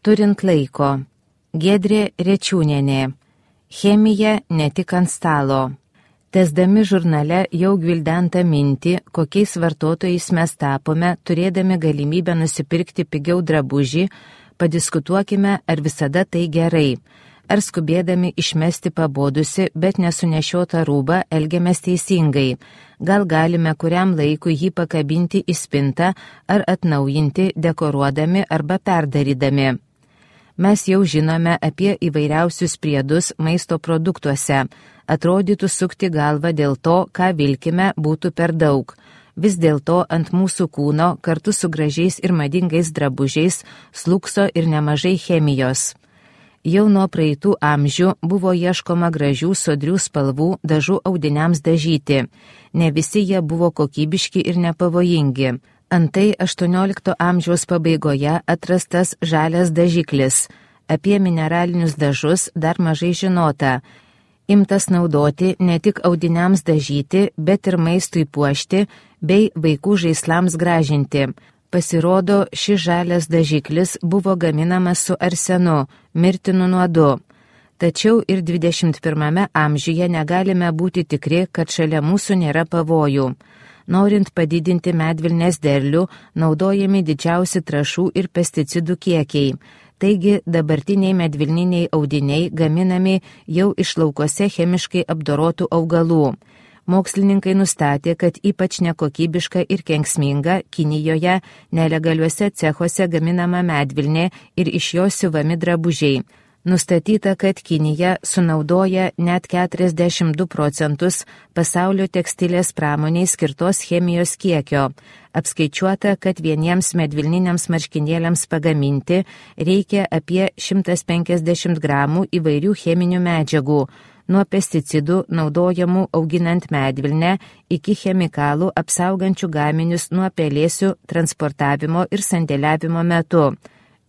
Turint laiko. Giedrė Rečiūnienė. Chemija ne tik ant stalo. Tęsdami žurnale jau gvildentą mintį, kokiais vartotojais mes tapome, turėdami galimybę nusipirkti pigiau drabužį, padiskutuokime, ar visada tai gerai. Ar skubėdami išmesti pabodusi, bet nesunešiotą rūbą elgiamės teisingai. Gal galime kuriam laikui jį pakabinti į spintą ar atnaujinti, dekoruodami arba perdarydami. Mes jau žinome apie įvairiausius priedus maisto produktuose. Atrodytų sukti galvą dėl to, ką vilkime, būtų per daug. Vis dėlto ant mūsų kūno kartu su gražiais ir madingais drabužiais slūkso ir nemažai chemijos. Jau nuo praeitų amžių buvo ieškoma gražių sodrių spalvų dažų audiniams dažyti. Ne visi jie buvo kokybiški ir nepavojingi. Antai 18 amžiaus pabaigoje atrastas žalias dažiklis. Apie mineralinius dažus dar mažai žinota. Imtas naudoti ne tik audiniams dažyti, bet ir maistui puošti bei vaikų žaislams gražinti. Pasirodo, šis žalias dažiklis buvo gaminamas su arsenu, mirtinu nuodu. Tačiau ir 21 amžiuje negalime būti tikri, kad šalia mūsų nėra pavojų. Norint padidinti medvilnės derlių, naudojami didžiausi trąšų ir pesticidų kiekiai. Taigi dabartiniai medvilniniai audiniai gaminami jau iš laukose chemiškai apdorotų augalų. Mokslininkai nustatė, kad ypač nekokybiška ir kenksminga Kinijoje nelegaliuose cechuose gaminama medvilnė ir iš jos siuvami drabužiai. Nustatyta, kad Kinija sunaudoja net 42% pasaulio tekstilės pramoniai skirtos chemijos kiekio. Apskaičiuota, kad vieniems medvilniniams marškinėliams pagaminti reikia apie 150 gramų įvairių cheminių medžiagų, nuo pesticidų naudojamų auginant medvilnę iki chemikalų apsaugančių gaminius nuo pelėsių transportavimo ir sandėliavimo metu.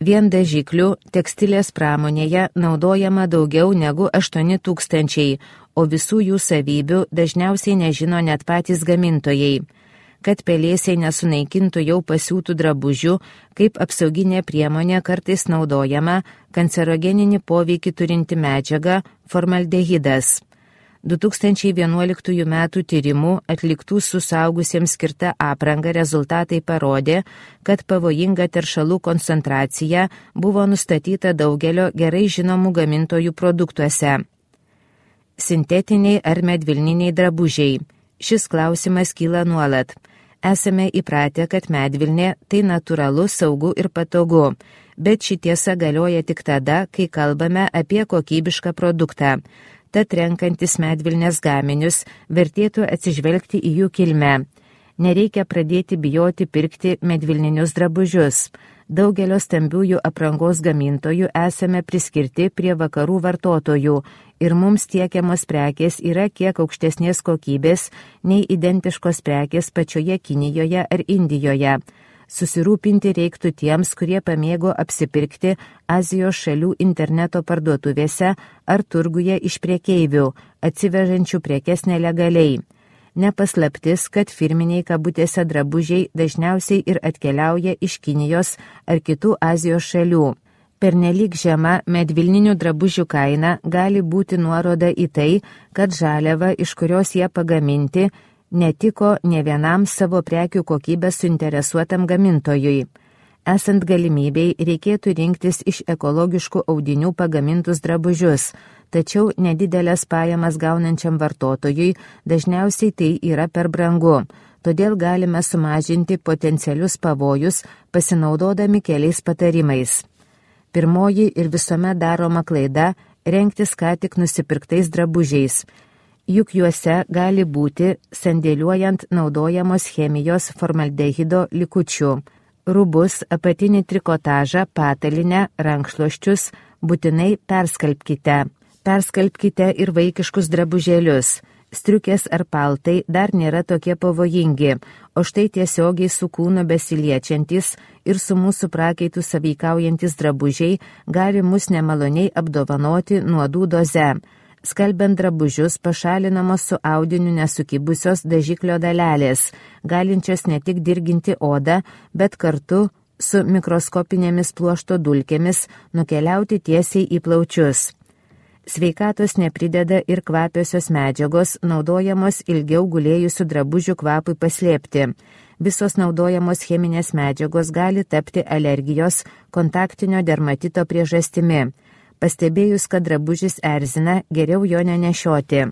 Vien dažiklių tekstilės pramonėje naudojama daugiau negu 8000, o visų jų savybių dažniausiai nežino net patys gamintojai. Kad pelėsiai nesunaikintų jau pasiūtų drabužių, kaip apsauginė priemonė kartais naudojama kancerogeninį poveikį turinti medžiaga formaldehidas. 2011 m. tyrimų atliktų su suaugusiems skirta apranga rezultatai parodė, kad pavojinga teršalų koncentracija buvo nustatyta daugelio gerai žinomų gamintojų produktuose. Sintetiniai ar medvilniniai drabužiai. Šis klausimas kyla nuolat. Esame įpratę, kad medvilnė tai natūralu, saugu ir patogu, bet ši tiesa galioja tik tada, kai kalbame apie kokybišką produktą. Tad renkantis medvilnės gaminius vertėtų atsižvelgti į jų kilmę. Nereikia pradėti bijoti pirkti medvilninius drabužius. Daugelio stambiųjų aprangos gamintojų esame priskirti prie vakarų vartotojų ir mums tiekiamos prekės yra kiek aukštesnės kokybės nei identiškos prekės pačioje Kinijoje ar Indijoje. Susirūpinti reiktų tiems, kurie pamėgo apsipirkti Azijos šalių interneto parduotuvėse ar turguje iš prekeivių, atsivežančių prekes nelegaliai. Nepaslaptis, kad firminiai kabutėse drabužiai dažniausiai ir atkeliauja iš Kinijos ar kitų Azijos šalių. Pernelyg žema medvilninių drabužių kaina gali būti nuoroda į tai, kad žaliava, iš kurios jie pagaminti, netiko ne vienam savo prekių kokybę suinteresuotam gamintojui. Esant galimybei, reikėtų rinktis iš ekologiškų audinių pagamintus drabužius, tačiau nedidelės pajamas gaunančiam vartotojui dažniausiai tai yra per brangu, todėl galime sumažinti potencialius pavojus pasinaudodami keliais patarimais. Pirmoji ir visuomet daroma klaida – rengtis ką tik nusipirktais drabužiais. Juk juose gali būti sandėliuojant naudojamos chemijos formaldehido likučių. Rūbus, apatinį trikotažą, patalinę, rankšluosčius būtinai perskalbkite. Perskalbkite ir vaikiškus drabužėlius. Striukės ar paltai dar nėra tokie pavojingi, o štai tiesiogiai su kūnu besiliečiantis ir su mūsų prakeitų sąveikaujantis drabužiai gali mus nemaloniai apdovanoti nuodų doze. Skalbiant drabužius pašalinamos su audiniu nesukibusios dažiklio dalelės, galinčios ne tik dirginti odą, bet kartu su mikroskopinėmis pluošto dulkėmis nukeliauti tiesiai į plaučius. Sveikatos neprideda ir kvapiosios medžiagos, naudojamos ilgiau gulėjusių drabužių kvapui paslėpti. Visos naudojamos cheminės medžiagos gali tapti alergijos, kontaktinio dermatito priežastimi. Pastebėjus, kad drabužis erzina, geriau jo nenešioti.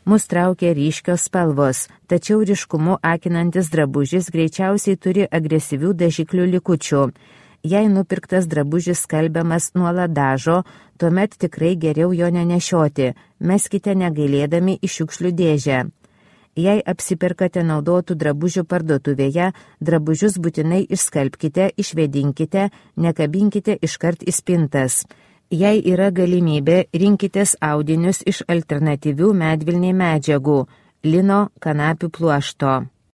Mus traukia ryškios spalvos, tačiau ryškumu akinantis drabužis greičiausiai turi agresyvių dažiklių likučių. Jei nupirktas drabužis skalbiamas nuolat dažo, tuomet tikrai geriau jo nenešioti, meskite negailėdami į šiukšlių dėžę. Jei apsiperkate naudotų drabužių parduotuvėje, drabužius būtinai išskalbkite, išvėdinkite, nekabinkite iškart į spintas. Jei yra galimybė, rinkitės audinius iš alternatyvių medvilniai medžiagų – lino, kanapių pluošto.